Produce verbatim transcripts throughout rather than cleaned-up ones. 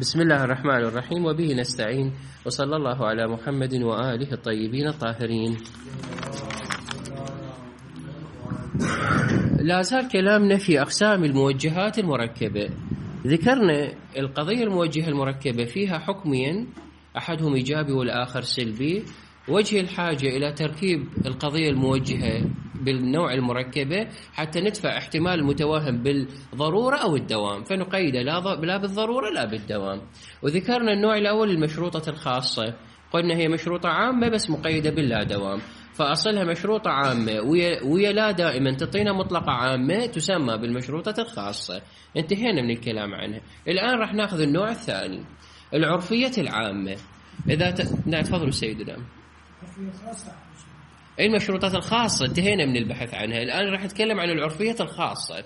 بسم الله الرحمن الرحيم، وبه نستعين، وصلى الله على محمد وآله الطيبين الطاهرين. لا زال كلامنا في أقسام الموجهات المركبة. ذكرنا القضية الموجهة المركبة فيها حكمين، أحدهم إيجابي والآخر سلبي. وجه الحاجة إلى تركيب القضية الموجهة بالنوع المركبة حتى ندفع احتمال المتوهم بالضرورة أو الدوام، فنقيد لا بالضرورة لا بالدوام. وذكرنا النوع الأول المشروطة الخاصة، قلنا هي مشروطة عامة بس مقيدة باللا دوام، فأصلها مشروطة عامة ويا, ويا لا دائما تعطينا مطلقة عامة تسمى بالمشروطة الخاصة. انتهينا من الكلام عنها. الآن راح ناخذ النوع الثاني، العرفية العامة. إذا ت... نعم تفضلوا سيدنا. المشروطات الخاصة انتهينا من البحث عنها، الآن راح نتكلم عن العرفية الخاصة.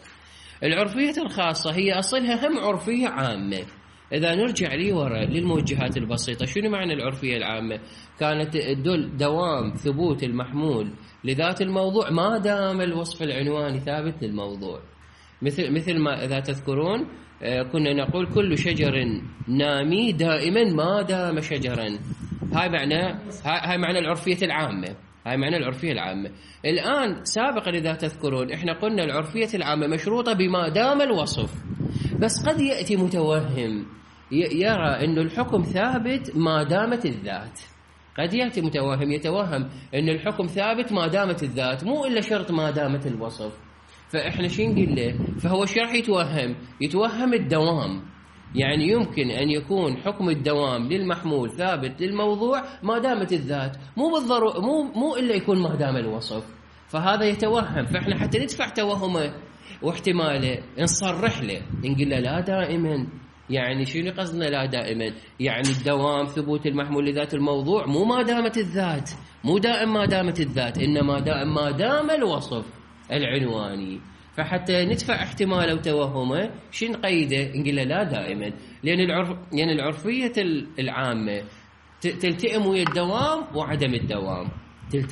العرفية الخاصة هي أصلها هم عرفية عامة. إذا نرجع لي وراء للموجهات البسيطة، شنو معنى العرفية العامة؟ كانت تدل دوام ثبوت المحمول لذات الموضوع ما دام الوصف العنواني ثابت للموضوع. مثل مثل ما إذا تذكرون كنا نقول كل شجر نامي دائما ما دام شجرا. هاي معنى هاي معنى العرفية العامة. هاي معنى العرفية العامة. الآن سابقا إذا تذكرون إحنا قلنا العرفية العامة مشروطة بما دام الوصف، بس قد يأتي متوهم يرى إنه الحكم ثابت ما دامت الذات. قد يأتي متوهم يتوهم إن الحكم ثابت ما دامت الذات، مو إلا شرط ما دامت الوصف. فإحنا شو نقول له؟ فهو شو راح يتوهم؟ يتوهم الدوام. يعني يمكن أن يكون حكم الدوام للمحمول ثابت للموضوع ما دامت الذات، مو بالضرورة مو مو إلا يكون ما دام الوصف. فهذا يتوهم، فإحنا حتى ندفع توهمه واحتماله نصرح له، نقول له لا دائما. يعني شنو قصدنا لا دائما؟ يعني الدوام ثبوت المحمول لذات الموضوع مو ما دامت الذات، مو دائم ما دامت الذات، إنما دائم ما دام الوصف العنواني. فحتى ندفع احتماله وتوهمه شو نقيده؟ نقول له لا دائما، لأن العرف يعني العرفية العامة تلتئم ويا الدوام وعدم الدوام.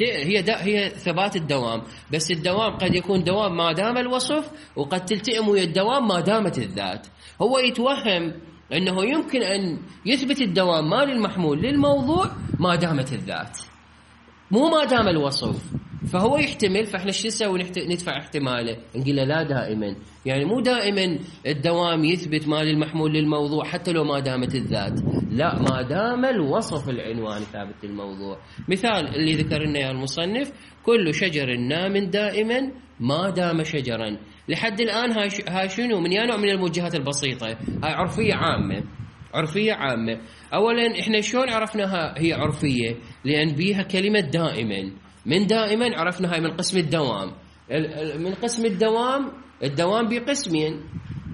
هي هي ثبات الدوام، بس الدوام قد يكون دوام ما دام الوصف، وقد تلتئم ويا الدوام ما دامت الذات. هو يتوهم أنه يمكن أن يثبت الدوام ما للمحمول للموضوع ما دامت الذات، مو ما دام الوصف. فهو يحتمل، فاحنا شو نسوي؟ ندفع احتماله، نقول له لا دائما. يعني مو دائما الدوام يثبت ما للمحمول للموضوع حتى لو ما دامت الذات، لا، ما دام الوصف العنواني ثابت للموضوع. مثال اللي ذكر لنا يا المصنف، كل شجر نام دائما ما دام شجرا. لحد الآن هاي هاي شنو؟ من نوع من الموجهات البسيطة. هاي عرفية عامة. عرفية عامة. أولا إحنا شلون عرفناها هي عرفية؟ لأن بيها كلمة دائما. من دائما عرفنا هاي من قسم الدوام. من قسم الدوام، الدوام بقسمين،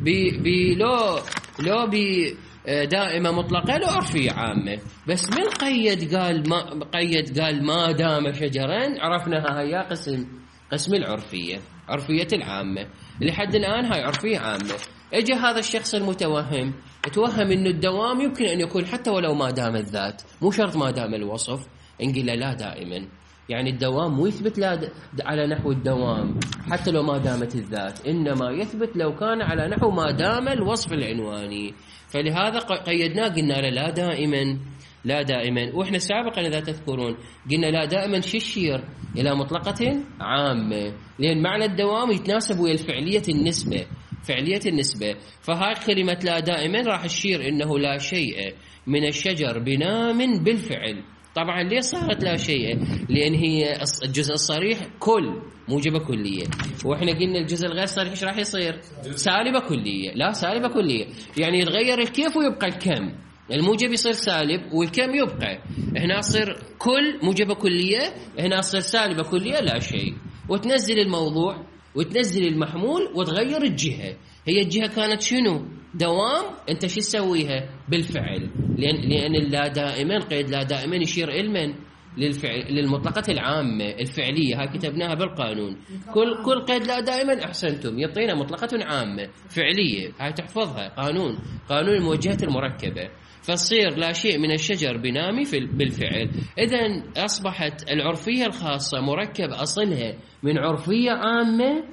بلو لو بدائمة مطلقة لو عرفية عامة. بس من قيد قال ما قيد قال ما دام شجرا، عرفناها هي قسم قسم العرفية، عرفية العامة. لحد الآن هاي عرفية عامة. اجى هذا الشخص المتوهم توهم إنه الدوام يمكن أن يكون حتى ولو ما دام الذات، مو شرط ما دام الوصف. نقول له لا دائما، يعني الدوام مو يثبت لا على نحو الدوام حتى لو ما دامت الذات، إنما يثبت لو كان على نحو ما دام الوصف العنواني. فلهذا قيدناه قلنا له لا دائما، لا دائما. وإحنا سابقا إذا تذكرون قلنا لا دائما شو يشير إلى مطلقة عامة، لأن معنى الدوام يتناسب ويا الفعلية النسبة، فعلية النسبة. فهاي كلمة لا دائما راح تشير إنه لا شيء من الشجر بنام بالفعل. طبعا ليه صارت لا شيء؟ لأن هي الجزء الصريح كل موجبة كلية، وإحنا قلنا الجزء الغير صريح إيش راح يصير؟ سالبة كلية. لا، سالبة كلية يعني يتغير الكيف ويبقى الكم. الموجب يصير سالب والكم يبقى. هنا يصير كل موجبة كلية، هنا يصير سالبة كلية لا شيء. وتنزل الموضوع وتنزل المحمول وتغير الجهة. هي الجهة كانت شنو؟ دوام. انت شو تسويها؟ بالفعل. لأن لأن اللا دائما قيد لا دائما يشير إلمن للفعل للمطلقة العامة الفعلية. هاي كتبناها بالقانون. كل كل قيد لا دائما أحسنتم يعطينا مطلقة عامة فعلية. هاي تحفظها، قانون قانون الموجهات المركبة. فتصير لا شيء من الشجر بنامي في بالفعل. إذن أصبحت العرفية الخاصة مركب أصلها من عرفية عامة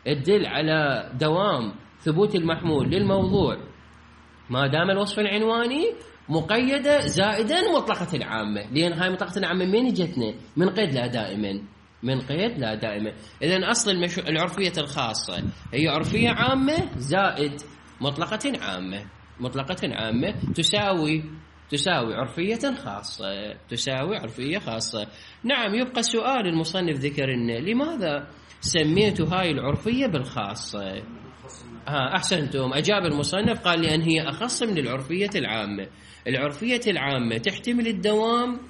تدل على دوام ثبوت المحمول للموضوع ما دام الوصف العنواني مقيدة زائدا مطلقة العامة، لأن هاي مطلقة العامة من اجتنا؟ من قيد لا دائما، من قيد لا دائما. إذن أصل المش... العرفية الخاصة هي عرفية عامة زائد مطلقة عامة، مطلقة عامة تساوي تساوي عرفية خاصة، تساوي عرفية خاصة. نعم، يبقى سؤال المصنف ذكر لنا لماذا سميت هاي العرفية بالخاصة؟ ها أحسنتم، أجاب المصنف قال لأن هي أخص من العرفية العامة. العرفية العامة تحتمل الدوام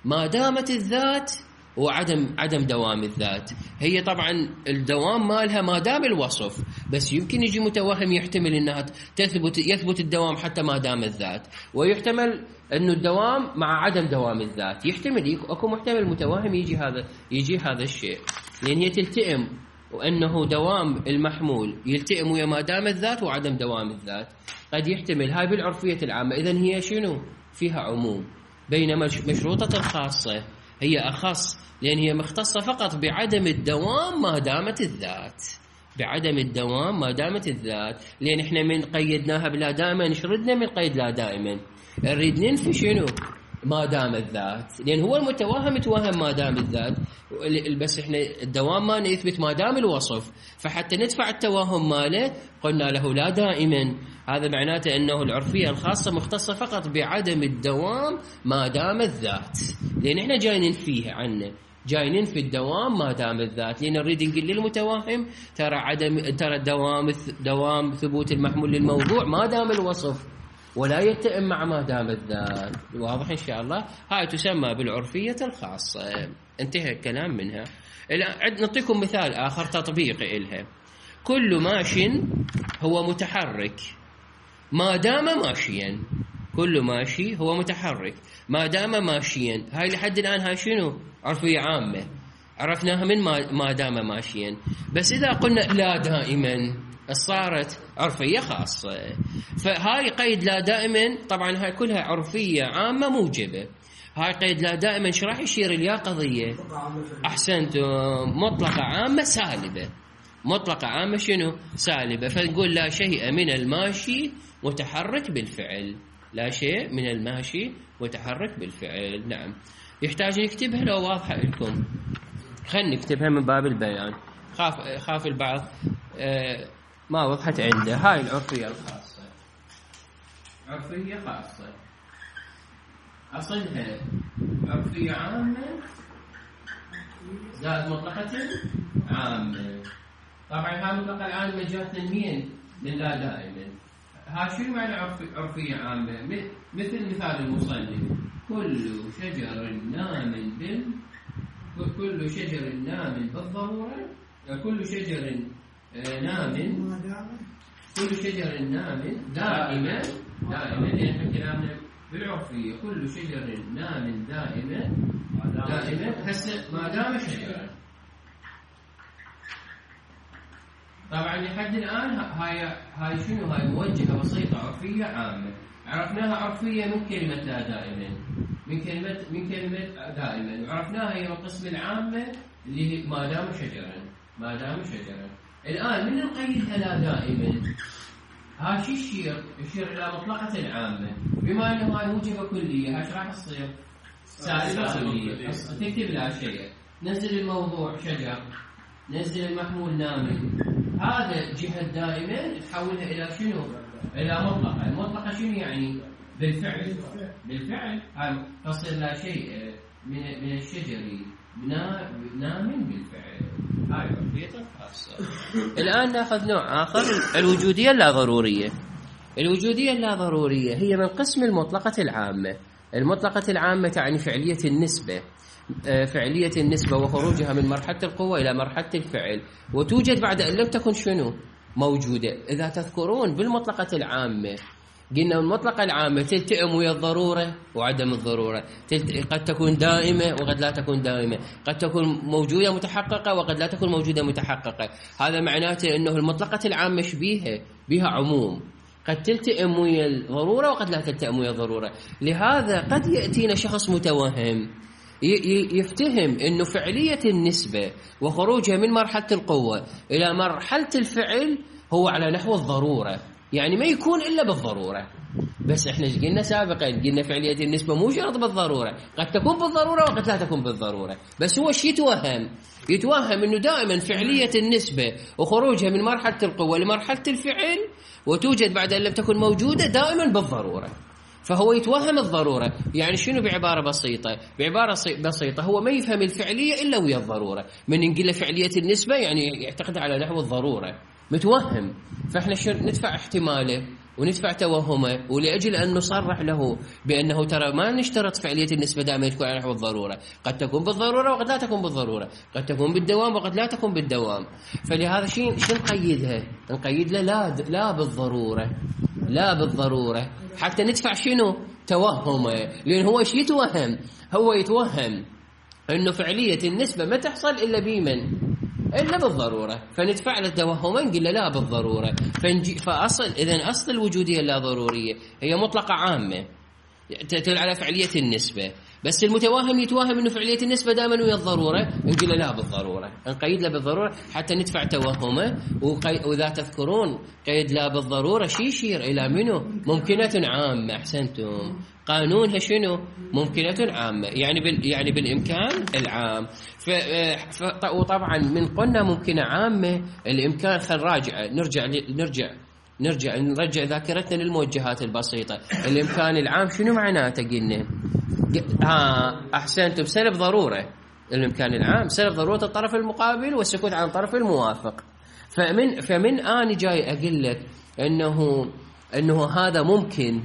ما دامت الذات وعدم عدم دوام الذات. هي طبعا الدوام مالها ما دام الوصف، بس يمكن يجي متوهم يحتمل انها تثبت يثبت الدوام حتى ما دام الذات، ويحتمل انه الدوام مع عدم دوام الذات. يحتمل اكو محتمل متوهم يجي هذا يجي هذا الشيء، لان هي تلتئم، وانه دوام المحمول يلتئم ويا ما دام الذات وعدم دوام الذات. قد يحتمل هاي بالعرفية العامة. اذن هي شنو؟ فيها عموم، بينما مشروطة الخاصة هي أخص، لأن هي مختصة فقط بعدم الدوام ما دامت الذات، بعدم الدوام ما دامت الذات. لأن إحنا من قيدناها بلا دائما شردنا من قيد لا دائما، نريد ننفي شنو؟ ما دام الذات، لأن هو المتوهم متوهم ما دام الذات، بس إحنا الدوام ما يثبت ما دام الوصف، فحتى ندفع التوهم ماله قلنا له لا دائما. هذا معناته أنه العرفية الخاصة مختصة فقط بعدم الدوام ما دام الذات، لأن إحنا جاي ننفيه عنه، جاي ننفي الدوام ما دام الذات، لأن نريد نقول للمتوهم ترى عدم ترى دوام دوام ثبوت المحمول للموضوع ما دام الوصف، ولا يتئم مع ما دام الذات. واضح إن شاء الله؟ هاي تسمى بالعرفية الخاصة. انتهى الكلام منها. الآن نعطيكم مثال آخر تطبيقي إلها. كل ماش هو متحرك ما دام ماشيا، كل ماشي هو متحرك ما دام ماشيا. هاي لحد الآن هاي شنو؟ عرفية عامة، عرفناها من ما دام ماشيا. بس إذا قلنا لا دائما صارت عرفية خاصة. فهاي قيد لا دائما، طبعا هاي كلها عرفية عامة موجبة. هاي قيد لا دائما ايش راح يشير ليا قضية؟ أحسنتم، مطلقة عامة سالبة. مطلقة عامة شنو؟ سالبة. فنقول لا شيء من الماشي متحرك بالفعل، لا شيء من الماشي متحرك بالفعل. نعم، يحتاج نكتبها لو واضحة لكم؟ خلينا نكتبها من باب البيان، خاف خاف البعض آه ما وضحت عنده. هاي العرفية الخاصة، عرفية خاصة أصلها عرفية عامة زائد مطلقة عامة. طبعا هاي المطلقة العامة جاتنا منين؟ من لا دائما. ها شو معنى عرفية عامة؟ مثل مثال المصنف: كل شجر نام بال كل شجر نام بالضرورة، كل شجر نام كل شجر نام دائما دائما. لأن كلامنا بالعرفية كل شجر نام دائما دائما هسه ما دام شجرا. طبعا لحد الآن هاي هاي شنو؟ هاي موجهة بسيطة، عرفية عامة. عرفناها عرفية من كلمة لا دائما، من كلمة من كلمة دائما، وعرفناها هي القسم العامة اللي ما دام شجرا ما دام شجرا. الآن من نقيدها لا دائما؟ ها شو يشير؟ يشير إلى مطلقة عامة. بما أنه هاي موجبة كلية، هاش راح تصير سالبة كلية. تكتب لا شيء، نزل الموضوع شجر، نزل المحمول نام. هذا جهة دائما تحولها إلى شنو؟ إلى مطلقة. المطلقة شنو يعني؟ بالفعل بالفعل هاي تصير لا شيء من من الشجر نام بالفعل. هاي عرفية خاصة. الآن نأخذ نوع آخر، الوجودية اللا ضرورية. الوجودية اللا ضرورية هي من قسم المطلقة العامة. المطلقة العامة تعني فعلية النسبة، فعلية النسبة وخروجها من مرحلة القوة إلى مرحلة الفعل، وتوجد بعد أن لم تكن شنو؟ موجودة. إذا تذكرون بالمطلقة العامة قلنا المطلقة العامة تلتئم ويا الضرورة وعدم الضرورة، قد تكون دائمة وقد لا تكون دائمة، قد تكون موجودة متحققة وقد لا تكون موجودة متحققة. هذا معناته أنه المطلقة العامة شبيهة بها عموم، قد تلتئم ويا الضرورة وقد لا تلتئم ويا الضرورة. لهذا قد يأتينا شخص متوهم يفتهم أنه فعلية النسبة وخروجها من مرحلة القوة إلى مرحلة الفعل هو على نحو الضرورة، يعني ما يكون إلا بالضرورة، بس احنا ايش قلنا سابقا؟ قلنا فعليه النسبه مو شرط بالضروره، قد تكون بالضروره وقد لا تكون بالضروره، بس هو ايش يتوهم؟ يتوهم انه دائما فعليه النسبه وخروجها من مرحله القوه لمرحله الفعل وتوجد بعد ان لم تكن موجوده دائما بالضروره. فهو يتوهم الضروره، يعني شنو بعباره بسيطه؟ بعباره بسيطه هو ما يفهم الفعليه الا ويا الضروره، من نقول له فعليه النسبه يعني يعتقد على نحو الضروره، متوهم. فاحنا ندفع احتماله وندفع توهمه، ولاجل ان نصرح له بانه ترى ما نشترط فعليه النسبه دائما تكون على نحو الضروره، قد تكون بالضروره وقد لا تكون بالضروره، قد تكون بالدوام وقد لا تكون بالدوام. فلهذا شيء شو نقيدها؟ نقيد له لا لا بالضروره، لا بالضروره، حتى ندفع شنو؟ توهمه، لان هو ايش يتوهم؟ هو يتوهم انه فعليه النسبه ما تحصل الا بمن؟ إلا بالضرورة، فندفع له توهما نقول له لا بالضرورة. فنجي فأصل إذن أصل الوجودية اللا ضرورية هي مطلقة عامة تدل على فعلية النسبة، بس المتوهم يتوهم إنه فعلية النسبة دائما ويا الضرورة، نقول له لا بالضرورة، نقيد له بالضرورة حتى ندفع توهمه. وإذا تذكرون قيد لا بالضرورة شي يشير إلى منه؟ ممكنة عامة. أحسنتم، قانونها شنو؟ ممكنة عامة، يعني بال يعني بالإمكان العام. ف... ف... وطبعا من قلنا ممكنة عامة الإمكان، خل راجع نرجع نرجع نرجع نرجع ذاكرتنا للموجهات البسيطة. الإمكان العام شنو معناته؟ قلنا آه أحسنتم، سلب ضرورة. الإمكان العام سلب ضرورة الطرف المقابل والسكوت عن الطرف الموافق. فمن فمن أنا جاي أقول لك إنه إنه هذا ممكن،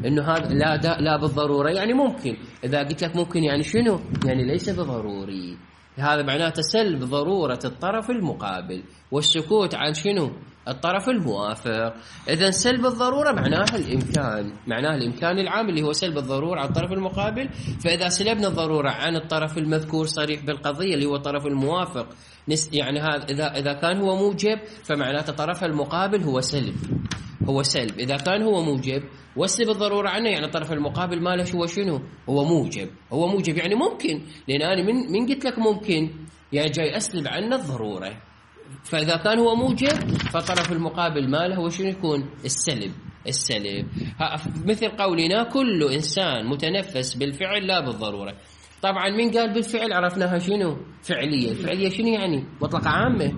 إنه هذا لا لا بالضرورة يعني ممكن. إذا قلت لك ممكن يعني شنو؟ يعني ليس بضروري. هذا معناته سلب ضرورة الطرف المقابل والسكوت عن شنو؟ الطرف الموافق. إذا سلب الضرورة معناها الإمكان، معناها الإمكان العام اللي هو سلب الضرورة عن الطرف المقابل. فإذا سلبنا الضرورة عن الطرف المذكور صريح بالقضية اللي هو الطرف الموافق، يعني هذا إذا إذا كان هو موجب فمعناته الطرف المقابل هو سلب، هو سلب. إذا كان هو موجب وسلب الضرورة عنه يعني الطرف المقابل ماله هو شنو؟ هو موجب، هو موجب يعني ممكن، لأن أنا من من قلت لك ممكن يعني جاي أسلب عنه الضرورة. فإذا كان هو موجب فالطرف المقابل ماله هو شنو يكون؟ السلب، السلب. مثل قولنا كل إنسان متنفس بالفعل لا بالضرورة. طبعا من قال بالفعل عرفناها شنو؟ فعلية. الفعلية شنو يعني؟ مطلقة عامة.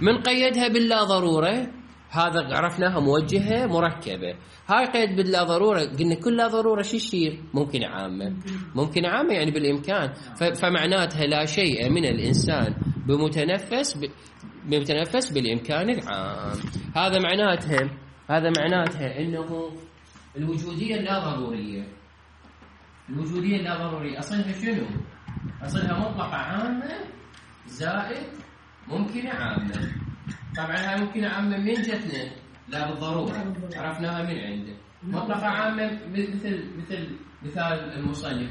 من قيدها باللا ضرورة هذا عرفناها موجهة مركبة. هاي قيد باللا ضرورة قلنا كل لا ضرورة شو يصير؟ ممكن عامة. ممكن عامة يعني بالإمكان. فمعناتها لا شيء من الإنسان بمتنفس ب... بمتنفس بالإمكان العام. هذا معناتها هذا معناتها إنه الوجودية اللا ضرورية، الوجودية اللا ضرورية أصلها شنو؟ أصلها مطلقة عامة زائد ممكنة عامة. طبعا هاي ممكنة عامة من جتنا؟ لا بالضرورة، عرفناها من عنده. مطلقة عامة مثل مثل مثال المصنف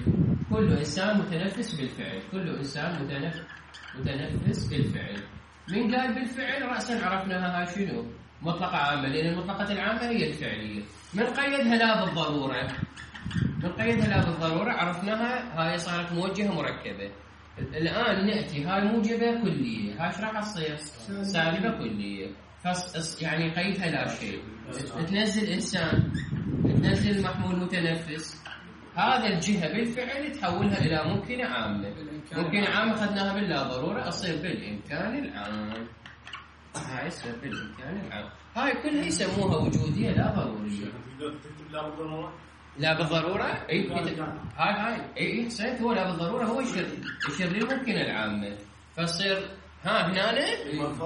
كل إنسان متنفس بالفعل، كل إنسان متنفس متنفس بالفعل. من قال بالفعل رأسا عرفناها هاي شنو؟ مطلقة عامة، لأن المطلقة العامة هي الفعلية. من قيدها لا بالضرورة، من قيدها لا بالضرورة عرفناها هاي صارت موجهة مركبة. الآن نأتي هاي موجبة كلية، هاي ايش راح تصير؟ سالبة كلية. فص يعني قيدها لا شيء. تنزل إنسان، تنزل محمول متنفس، هذا الجهة بالفعل تحولها إلى ممكنة عامة. ممكنة عامة أخذناها باللا ضرورة أصير بالإمكان العام. هاي يصير بالإمكان العام. هاي كلها يسموها وجودية لا ضرورية. لا بالضرورة اي هاي هاي اي صحيح، هو لا بالضرورة هو يشير يشير للممكنة العامة. فصير ها هنا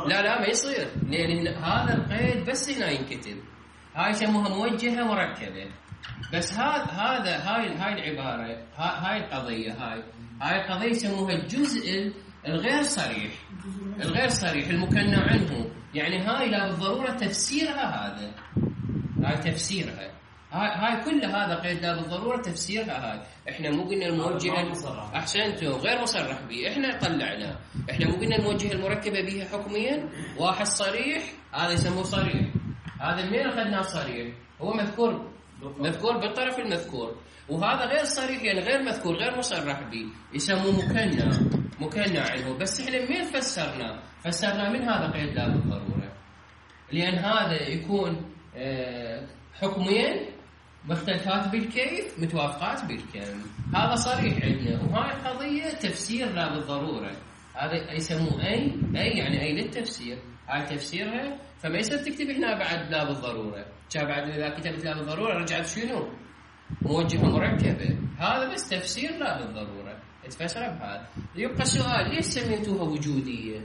لا لا ما يصير، لأن هذا القيد بس هنا ينكتب. هاي يسموها موجهة مركبة. بس هذا هذا هاي هاي العبارة هاي القضية هاي هاي القضية يسموها الجزء الغير صريح، الغير صريح المكنى عنه. يعني هاي لا بالضرورة تفسيرها هذا، هاي تفسيرها. هاي هاي كل هذا قيد لا بالضرورة تفسيرها هاي. احنا مو قلنا الموجهة احسنتوا غير مصرح به، احنا طلعنا. احنا مو قلنا الموجهة المركبة بها حكميا واحد صريح، هذا يسموه صريح. هذا منين اخذناه صريح؟ هو مذكور مذكور بالطرف المذكور. وهذا غير صريح يعني غير مذكور غير مصرح به، يسموه مكنى، مكنى عنه. بس احنا منين فسرنا؟ فسرنا من هذا قيد لا بالضرورة، لأن هذا يكون اه حكميا مختلفات بالكيف متوافقات بالكم. هذا صريح عندنا، وهاي القضية تفسير لا بالضرورة. هذا يسموه أي أي يعني أي للتفسير، هاي تفسيرها. فما يصير تكتب هنا بعد لا بالضرورة، كان بعد إذا كتبت لا بالضرورة رجعت شنو؟ موجهة مركبة. هذا بس تفسير لا بالضرورة، تفسر بهذا. يبقى سؤال، ليش سميتوها وجودية؟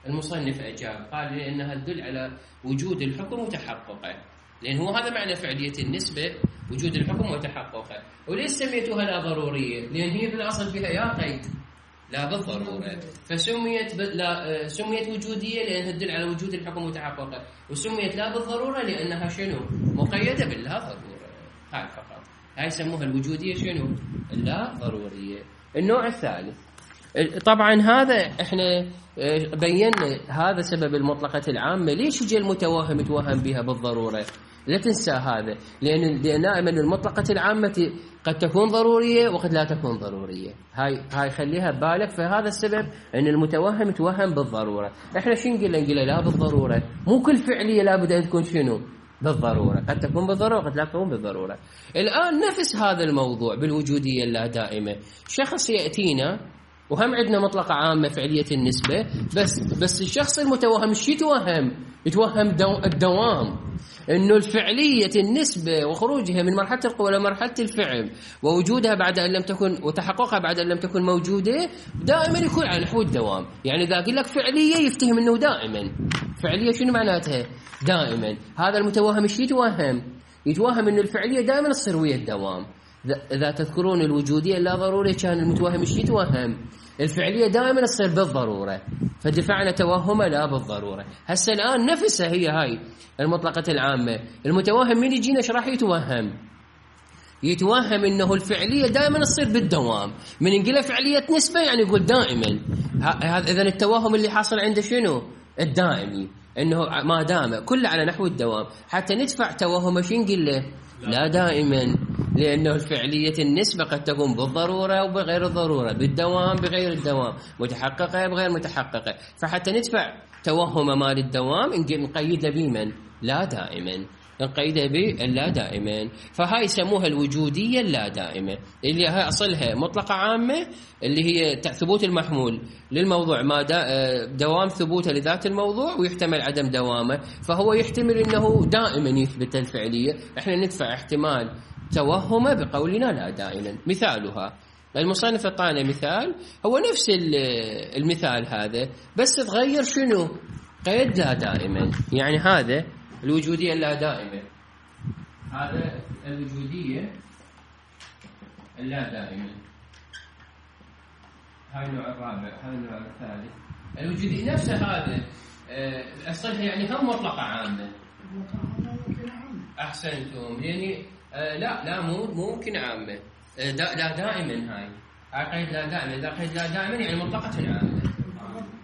المصنف أجاب قال لأنها تدل على وجود الحكم وتحققه، لأن هو هذا معنى فعلية النسبة، وجود الحكم وتحققه. وليش سميتوها لا ضرورية؟ لأن هي بالأصل بها يا قيد لا بالضرورة، فسميت ب... لا سميت وجودية لأنها تدل على وجود الحكم وتحققه، وسميت لا بالضرورة لأنها شنو؟ مقيدة باللا ضرورة. هاي فقط، هاي يسموها الوجودية شنو؟ اللا ضرورية. النوع الثالث طبعا هذا احنا بينا هذا سبب المطلقة العامة. ليش يجي المتوهم يتوهم بها بالضرورة؟ لا تنسى هذا، لأن دائما المطلقة العامة قد تكون ضرورية وقد لا تكون ضرورية. هاي هاي خليها ببالك. فهذا السبب أن المتوهم يتوهم بالضرورة. احنا شو نقول؟ نقول لا بالضرورة. مو كل فعلية لابد أن تكون شنو؟ بالضرورة. قد تكون بالضرورة وقد لا تكون بالضرورة. الآن نفس هذا الموضوع بالوجودية اللا دائمة. شخص يأتينا وهم عندنا مطلقة عامة فعلية النسبة، بس بس الشخص المتوهم شو يتوهم؟ يتوهم دو الدوام، إنه الفعلية النسبة وخروجها من مرحلة القوة إلى مرحلة الفعل ووجودها بعد أن لم تكن وتحققها بعد أن لم تكن موجودة دائما يكون على نحو الدوام. يعني إذا أقول لك فعلية يفتهم إنه دائما. فعلية شنو معناتها؟ دائما. هذا المتوهم شو يتوهم؟ يتوهم إنه الفعلية دائما تصير ويا الدوام. إذا تذكرون الوجودية لا ضرورية كان المتوهم شو يتوهم؟ الفعلية دائما تصير بالضرورة، فدفعنا توهمه لا بالضرورة. هسه الآن نفسها هي هاي المطلقة العامة. المتوهم من يجينا ايش راح يتوهم؟ يتوهم انه الفعلية دائما تصير بالدوام. من نقول فعلية نسبة يعني يقول دائما. هذا اذا التوهم اللي حاصل عنده شنو؟ الدائمي، انه ما دام كله على نحو الدوام. حتى ندفع توهمه شو نقول له؟ لا دائما، لأنه الفعلية النسبة قد تكون بالضرورة وبغير الضرورة، بالدوام بغير الدوام، متحققة بغير متحققة. فحتى ندفع توهم مال الدوام نقيده بمن؟ لا دائما، نقيده باللا دائما. فهاي يسموها الوجودية اللا دائمة، اللي هي أصلها مطلقة عامة اللي هي ثبوت المحمول للموضوع ما دوام ثبوته لذات الموضوع ويحتمل عدم دوامه، فهو يحتمل أنه دائما يثبت الفعلية. احنا ندفع احتمال توهمه بقولنا لا دائما. مثالها المصنف اعطانا مثال هو نفس المثال هذا، بس تغير شنو؟ قيد لا دائما. يعني هذا الوجودية اللا دائمة، هذا الوجودية اللا دائمة، هاي النوع الرابع، هذا النوع الثالث. الوجودية نفسها هذا أصلها يعني هم مطلقة عامة. أحسنتم. يعني آه لا لا مو ممكن عامة. آه دا لا دائما. هاي هاي قيد لا دائما. إذا قيد لا دائما يعني مطلقة عامة.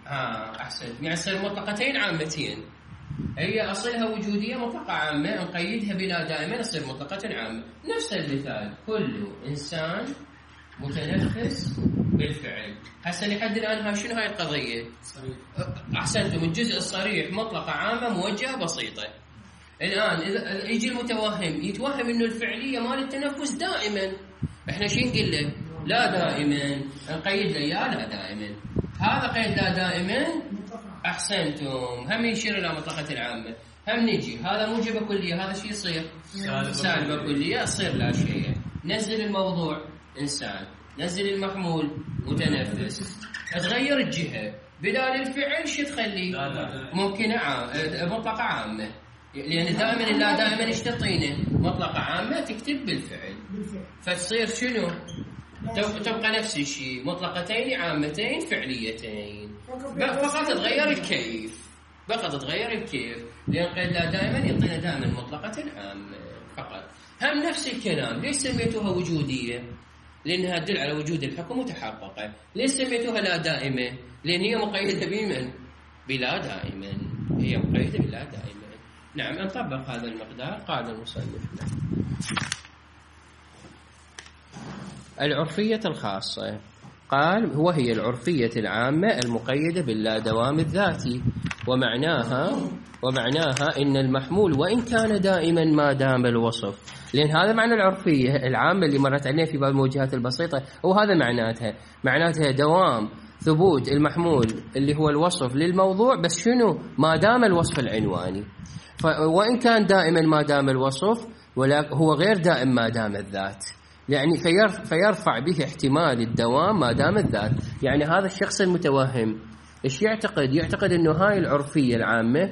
ها آه أحسنت. يعني تصير مطلقتين عامتين. هي أصلها وجودية مطلقة عامة، نقيدها بلا دائما تصير مطلقة عامة. نفس المثال، كل إنسان متنفس بالفعل. هسه لحد الآن هاي شنو هاي القضية؟ صريح. أحسنتم. الجزء الصريح مطلقة عامة موجهة بسيطة. الآن إذا يجي المتوهم يتوهم إنه الفعلية مال التنفس دائما، إحنا شو نقول له؟ لا دائما. نقيد له يا لا دائما. هذا قيد لا دائما. أحسنتم. هم يشير إلى مطلقة العامة. هم نجي هذا موجبة كلية، هذا شو يصير؟ سالبة كلية، يصير لا شيء. نزل الموضوع إنسان، نزل المحمول متنفس، تغير الجهة بدال الفعل شو تخلي؟ ممكن عام مطلقة عامة، لأن دائما لا دائما ايش تعطينا؟ مطلقة عامة تكتب بالفعل، فتصير شنو؟ تبقى نفس الشيء، مطلقتين عامتين فعليتين، فقط تغير الكيف، فقط تغير الكيف، لأن قيد لا دائما يعطينا دائما مطلقة عامة فقط. هم نفس الكلام. ليش سميتوها وجودية؟ لأنها تدل على وجود الحكم وتحققه. ليش سميتوها لا دائمة؟ لأن هي مقيدة بمن؟ بلا دائما، هي مقيدة بلا دائما. نعم، نطبق هذا المقدار. قال المصنف العرفية الخاصة، قال وهي العرفية العامة المقيدة باللا دوام الذاتي، ومعناها ومعناها إن المحمول وإن كان دائما ما دام الوصف، لأن هذا معنى العرفية العامة اللي مرت علينا في باب الموجهات البسيطة، وهذا معناتها معناتها دوام ثبوت المحمول اللي هو الوصف للموضوع، بس شنو؟ ما دام الوصف العنواني. وإن كان دائما ما دام الوصف، ولا هو غير دائم ما دام الذات، يعني فيرفع به احتمال الدوام ما دام الذات. يعني هذا الشخص المتوهم ايش يعتقد؟ يعتقد انه هاي العرفية العامة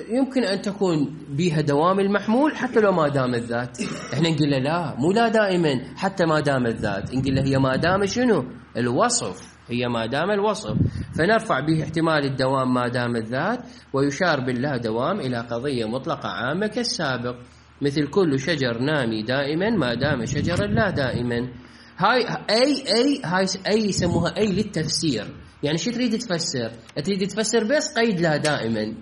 يمكن ان تكون بها دوام المحمول حتى لو ما دام الذات. احنا نقول له لا، مو لا دائما حتى ما دام الذات، نقول له هي ما دام شنو؟ الوصف، هي ما دام الوصف، فنرفع به احتمال الدوام ما دام الذات، ويشار باللا دوام إلى قضية مطلقة عامة كالسابق، مثل كل شجر نامي دائما ما دام شجرا لا دائما. هاي أي أي هاي أي يسموها أي للتفسير. يعني شو تريد تفسر؟ تريد تفسر بس قيد لا دائما.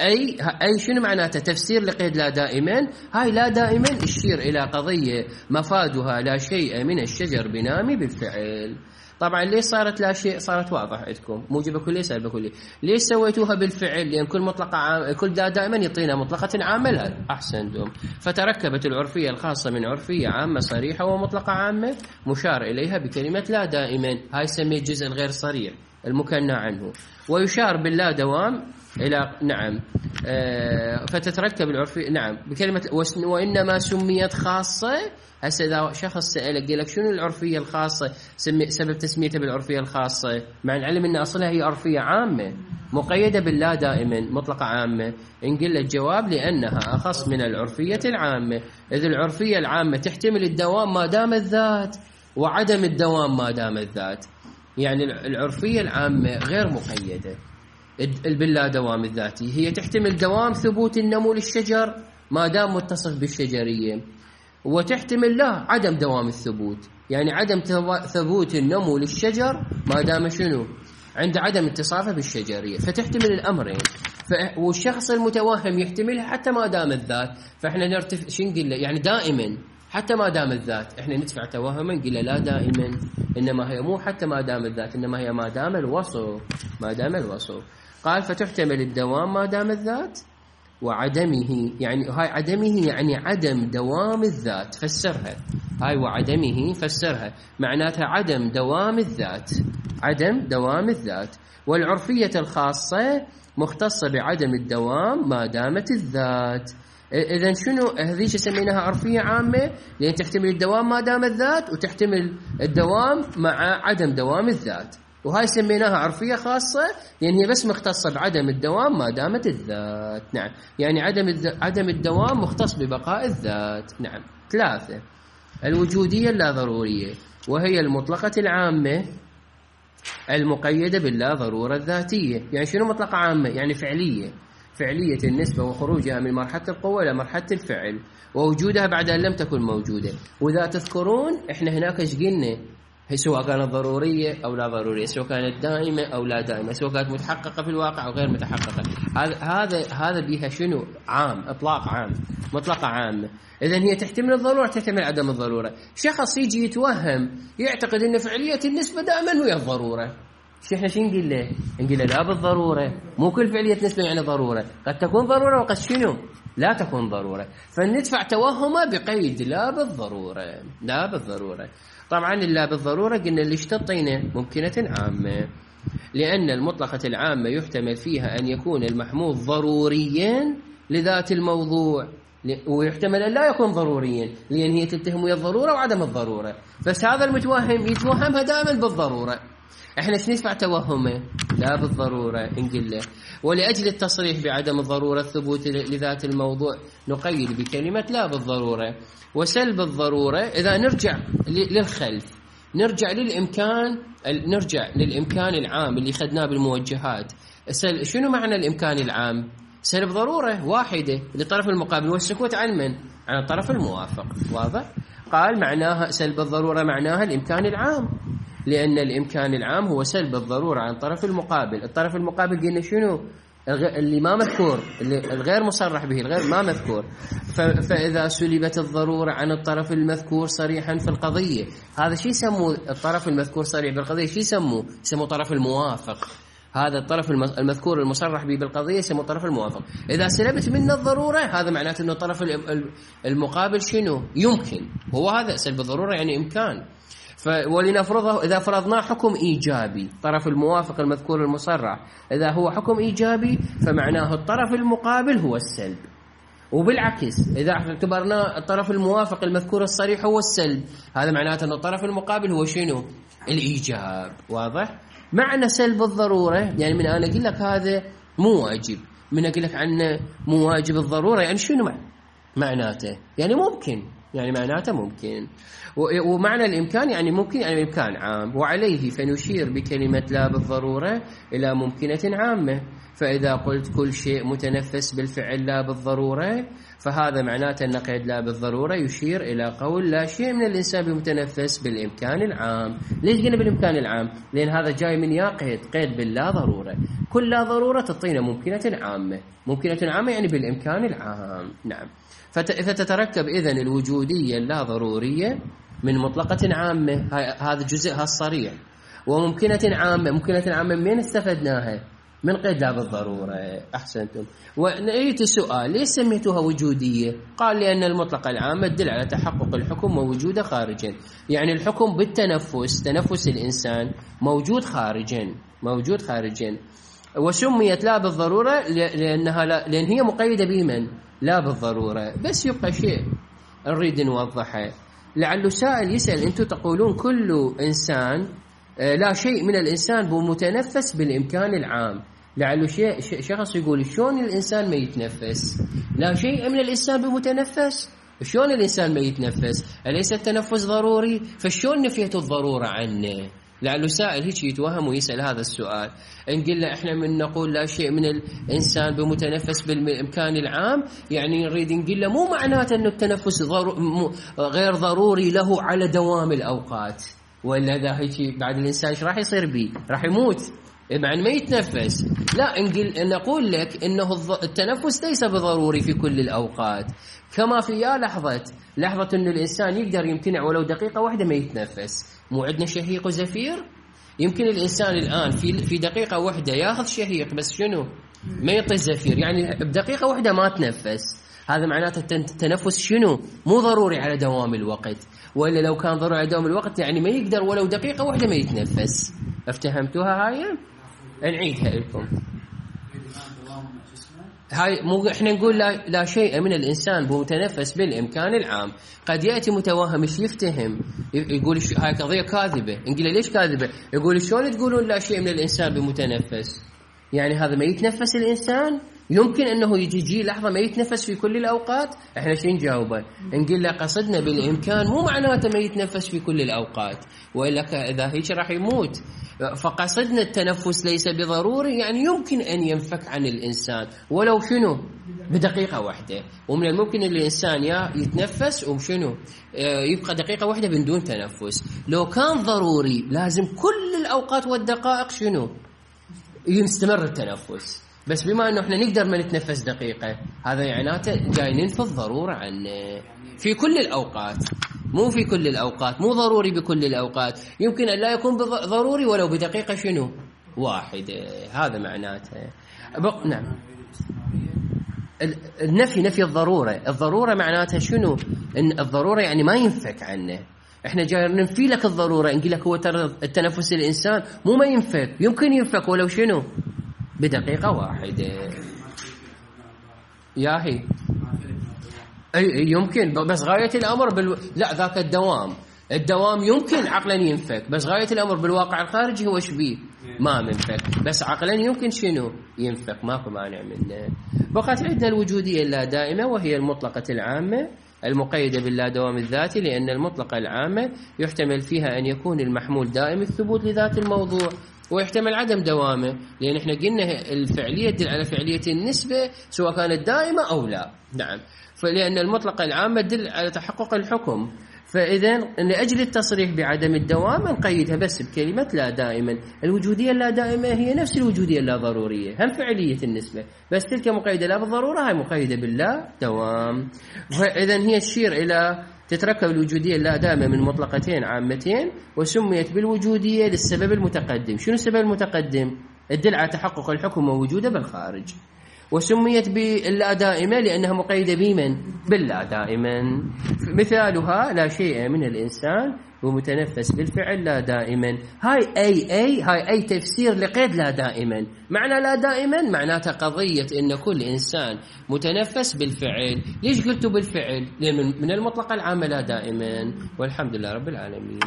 أي أي شنو معناته؟ تفسير لقيد لا دائما. هاي لا دائما تشير إلى قضية مفادها لا شيء من الشجر بنامي بالفعل. طبعا ليش صارت لا شيء؟ صارت واضح عندكم، موجبة كلية سالبة كلية. ليش سويتوها بالفعل؟ لأن كل مطلقة عام، كل دا دائما يعطينا مطلقة عامة. لا أحسنتم. فتركبت العرفية الخاصة من عرفية عامة صريحة ومطلقة عامة مشار إليها بكلمة لا دائما. هاي سمي الجزء الغير صريح المكنى عنه، ويشار باللا دوام إلى نعم آه فتتركب العرفية نعم بكلمة وإنما سميت خاصة. هسه إذا شخص سألك قال لك شنو العرفية الخاصة، سبب تسميتها بالعرفية الخاصة، مع العلم أن أصلها هي عرفية عامة مقيدة باللا دائما مطلقة عامة، نقول لك جواب لأنها أخص من العرفية العامة، إذ العرفية العامة تحتمل الدوام ما دام الذات وعدم الدوام ما دام الذات. يعني العرفية العامة غير مقيدة باللا دوام الذاتي، هي تحتمل دوام ثبوت النمو للشجر ما دام متصف بالشجرية، وتحتمل لا عدم دوام الثبوت، يعني عدم ثبوت النمو للشجر ما دام شنو؟ عند عدم اتصافه بالشجرية، فتحتمل الأمرين. والشخص المتوهم يحتملها حتى ما دام الذات، فإحنا نرتف شو نقول له؟ يعني دائما حتى ما دام الذات، إحنا ندفع توهما نقول له لا دائما، إنما هي مو حتى ما دام الذات، إنما هي ما دام الوصف، ما دام الوصف. قال فتحتمل الدوام ما دام الذات وعدمه، يعني هاي عدمه يعني عدم دوام الذات، فسرها هاي وعدمه فسرها معناتها عدم دوام الذات، عدم دوام الذات. والعرفية الخاصة مختصة بعدم الدوام ما دامت الذات. إذن شنو هذه سميناها عرفية عامة؟ لأن تحتمل الدوام ما دام الذات وتحتمل الدوام مع عدم دوام الذات. وهاي سميناها عرفية خاصة لأن هي بس مختصة بعدم الدوام ما دامت الذات. نعم، يعني عدم عدم الدوام مختص ببقاء الذات. نعم. ثلاثة، الوجودية اللا ضرورية، وهي المطلقة العامة المقيدة باللا ضرورة الذاتية. يعني شنو مطلقة عامة؟ يعني فعلية، فعلية النسبة وخروجها من مرحلة القوة إلى مرحلة الفعل، ووجودها بعد أن لم تكن موجودة. وإذا تذكرون إحنا هناك إيش قلنا؟ سواء كانت ضرورية أو لا ضرورية، سواء كانت دائمة أو لا دائمة، سواء كانت متحققة في الواقع أو غير متحققة. هذا هذا هذا بها شنو؟ عام، إطلاق عام، مطلقة عامة. إذن هي تحتمل الضرورة تحتمل عدم الضرورة. شخص يجي يتوهم يعتقد أن فعلية النسبة دائما هي الضرورة. شو إحنا شو نقول له؟ نقول له لا بالضرورة، مو كل فعلية نسبة يعني ضرورة، قد تكون ضرورة وقد شنو؟ لا تكون ضرورة. فندفع توهمه بقيد لا بالضرورة، لا بالضرورة. طبعا لا بالضرورة قلنا اللي اشتطينا ممكنة عامة، لأن المطلقة العامة يحتمل فيها أن يكون المحمول ضروريا لذات الموضوع، ويحتمل أن لا يكون ضروريا لأن هي تتهم ويا الضرورة وعدم الضرورة. بس هذا المتوهم يتوهمها دائما بالضرورة. احنا شو ندفع توهمه؟ لا بالضرورة نقول له. ولأجل التصريح بعدم الضرورة الثبوت لذات الموضوع نقيد بكلمة لا بالضرورة. وسلب الضرورة إذا نرجع للخلف، نرجع للإمكان، نرجع للإمكان العام اللي خدناه بالموجهات. شنو معنى الإمكان العام؟ سلب ضرورة واحدة للطرف المقابل والسكوت عن من؟ عن الطرف الموافق. واضح؟ قال معناها سلب الضرورة معناها الإمكان العام، لأن الإمكان العام هو سلب الضرورة عن الطرف المقابل. الطرف المقابل قلنا شنو؟ اللي ما مذكور، اللي الغير مصرح به، الغير ما مذكور. فإذا سلبت الضرورة عن الطرف المذكور صريحا في القضية، هذا شيء يسموه الطرف المذكور صريح بالقضية، شيء يسموه؟ يسموه طرف الموافق. هذا الطرف المذكور المصرح به بالقضية يسمى الطرف الموافق. إذا سلبت منه الضرورة هذا معناته أنه الطرف المقابل شنو؟ يمكن. هو هذا سلب الضرورة يعني إمكان. ولنفرضه إذا فرضنا حكم إيجابي، طرف الموافق المذكور المصرح إذا هو حكم إيجابي فمعناه الطرف المقابل هو السلب، وبالعكس إذا اعتبرنا الطرف الموافق المذكور الصريح هو السلب هذا معناته أن الطرف المقابل هو شنو؟ الإيجاب. واضح؟ معنى سلب الضرورة يعني من أنا أقول لك هذا مو واجب، من أقول لك عنه مو واجب الضرورة يعني شنو معناته؟ يعني ممكن، يعني معناته ممكن. ومعنى الإمكان يعني ممكن، يعني إمكان عام. وعليه فنشير بكلمة لا بالضرورة إلى ممكنة عامة. فإذا قلت كل شيء متنفس بالفعل لا بالضرورة فهذا معناته أن قيد لا بالضرورة يشير إلى قول لا شيء من الإنسان بمتنفس بالإمكان العام. ليش قلنا بالإمكان العام؟ لأن هذا جاي من يا قيد قيد باللا ضرورة. كل لا ضرورة تعطينا ممكنة عامة، ممكنة عامة يعني بالإمكان العام. نعم. فتتركب إذن الوجودية اللا ضرورية من مطلقة عامة، هذا جزءها الصريح، وممكنة عامة. ممكنة عامة من استفدناها؟ من قيد لا بالضرورة. أحسنتم. ونأيت السؤال ليش سميتوها وجودية؟ قال لأن المطلقة العامة تدل على تحقق الحكم ووجوده خارجا، يعني الحكم بالتنفس، تنفس الإنسان موجود خارجا، موجود خارجا. وسميت لا بالضرورة لأنها لا لأن هي مقيدة بمن؟ لا بالضرورة. بس يبقى شيء نريد نوضحه، لعله سائل يسأل أنتم تقولون كل إنسان لا شيء من الإنسان بمتنفس بالإمكان العام. لعله شيء شخص يقول شلون الإنسان ما يتنفس؟ لا شيء من الإنسان بمتنفس؟ شلون الإنسان ما يتنفس؟ أليس التنفس ضروري؟ فشلون نفيت الضرورة عنه؟ لعله سائل هيك يتوهم ويسأل هذا السؤال. إن قلنا إحنا من نقول لا شيء من الإنسان بمتنفس بالإمكان العام يعني نريد نقول له مو معناته أنه التنفس غير ضروري له على دوام الأوقات، ولا ذا هيك بعد الإنسان إيش راح يصير بيه؟ راح يموت مع ما يتنفس. لا، نقول نقول لك إنه التنفس ليس بضروري في كل الأوقات، كما في يا لحظة لحظة إنه الإنسان يقدر يمتنع ولو دقيقة واحدة ما يتنفس. مو عندنا شهيق وزفير؟ يمكن الإنسان الآن في في دقيقة واحدة ياخذ شهيق بس شنو؟ ما يعطي زفير، يعني بدقيقة واحدة ما تنفس. هذا معناته التنفس شنو؟ مو ضروري على دوام الوقت، وإلا لو كان ضروري على دوام الوقت يعني ما يقدر ولو دقيقة واحدة ما يتنفس. افتهمتوها هاي؟ نعيدها لكم. هاي مو احنا نقول لا, لا شيء من الإنسان بمتنفس بالإمكان العام. قد يأتي متوهم مش يفتهم يقول هاي قضية كاذبة. نقول ليش كاذبة؟ يقول شلون تقولون لا شيء من الإنسان بمتنفس؟ يعني هذا ما يتنفس الإنسان؟ يمكن أنه يجي جي لحظة ما يتنفس في كل الأوقات؟ إحنا شو نجاوبه؟ نقول له قصدنا بالإمكان مو معناته ما يتنفس في كل الأوقات، وإلا إذا هيك راح يموت. فقصدنا التنفس ليس بضروري، يعني يمكن أن ينفك عن الإنسان ولو شنو بدقيقة واحدة. ومن الممكن أن الإنسان يا يتنفس وشنو يبقى دقيقة واحدة من دون تنفس. لو كان ضروري لازم كل الأوقات والدقائق شنو يستمر التنفس، بس بما أنه إحنا نقدر ما نتنفس دقيقة هذا يعناته جاي ننفي الضرورة عنه في كل الأوقات. مو في كل الأوقات، مو ضروري بكل الأوقات، يمكن أن لا يكون ضروري ولو بدقيقة شنو واحدة. هذا معناته بق... نعم. النفي نفي الضرورة. الضرورة معناتها شنو؟ إن الضرورة يعني ما ينفك عنه. احنا جاي ننفي لك الضرورة، نقول لك هو ترى التنفس الإنسان مو ما ينفك، يمكن ينفك ولو شنو بدقيقة واحدة. ياهي أي يمكن، بس غاية الأمر بال... لا ذاك الدوام الدوام يمكن عقلا ينفك، بس غاية الأمر بالواقع الخارجي هو شبيه ما منفك، بس عقلا يمكن شنو ينفك، ماكو مانع منه. بقت عندنا الوجودية اللا دائمة وهي المطلقة العامة المقيدة باللا دوام الذاتي، لأن المطلقة العامة يحتمل فيها أن يكون المحمول دائم الثبوت لذات الموضوع، ويحتمل عدم دوامه، لأن احنا قلنا الفعلية تدل على فعلية النسبة سواء كانت دائمة أو لا. نعم. فلأن المطلقة العامة تدل على تحقق الحكم، فإذا لأجل التصريح بعدم الدوام نقيدها بس بكلمة لا دائما. الوجودية اللا دائمة هي نفس الوجودية اللا ضرورية، هم فعلية النسبة، بس تلك مقيدة لا بالضرورة، هاي مقيدة باللا دوام. فإذا هي تشير إلى تتركب الوجودية اللا دائمة من مطلقتين عامتين، وسميت بالوجودية للسبب المتقدم. شنو السبب المتقدم؟ تدل على تحقق الحكم ووجوده بالخارج. وسميت باللا دائمة لأنها مقيدة بمن؟ باللا دائما. مثالها لا شيء من الإنسان ومتنفس بالفعل لا دائما. هاي أي أي هاي أي تفسير لقيد لا دائما. معنى لا دائما معناتها قضية إن كل إنسان متنفس بالفعل. ليش قلتوا بالفعل؟ لأن من المطلق العام لا دائما. والحمد لله رب العالمين.